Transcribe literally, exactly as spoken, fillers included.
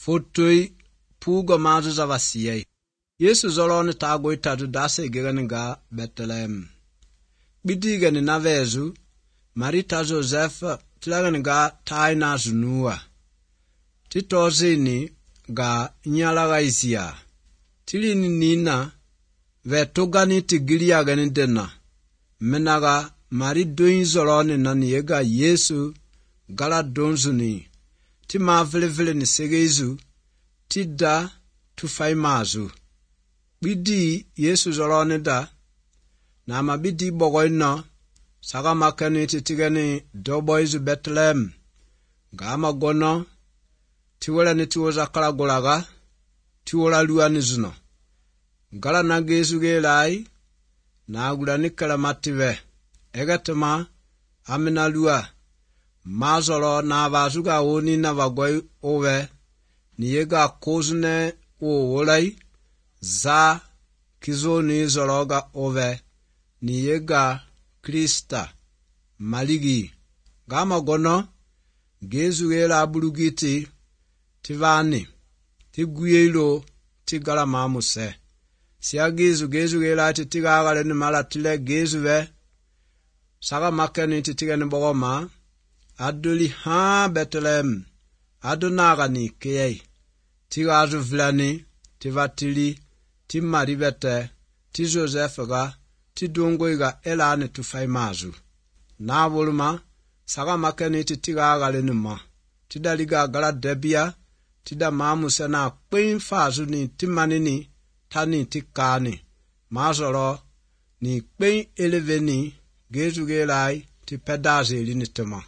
Fotoi pugo mazu za vasiyai. Yesu zoloni tago itatu dase gegani ga Bethlehem. Bidigani na vezu, Marita Joseph tilagani ga taina zunua. Titozini ga nyalaga isia. Tilini nina vetugani tigilia gani dena. Menaga mari doin zoloni nani yega Yesu gala donzuni. Ti ma vile vile ni segezu. Ti da tufai mazu. Bidi Yesu zoloni da. Na ma bidi bogoi no. Saga makani titigani doboizu Bethlehem. Gama gono. Tiwela ni tiwoza kala golaga. Tiwola luwa nizuno. Gala na gezu gelai. Na agula nikala mative. Egatema amina luwa. Mazolo na vazuga oni na vagoi owe. Niyega kozune uolai. Za kizoni zologa owe. Niyega Krista maligi. Gama gono. Gezu gela bulugiti. Tivani. Tiguyelo. Tigala mamuse. Siya gezu gezu gela titigagale ni malatile gezu ve. Saga makeni titigani bogoma. Adoli ha Bethlehem. Adonaga ni kiyei. Tigazu vlani. Tivatili. Timaribete. Ti Joseph ga. Tidongoiga elane tufai mazu. Na voluma. Saga makeni titigagale ni ma. Tidaliga gala debia. Tida mamuse na kwen fazu ni timanini. Tani tikani. Mazoro. Ni kwen eleveni. Gezu gelai. Ti pedaze ili nitema.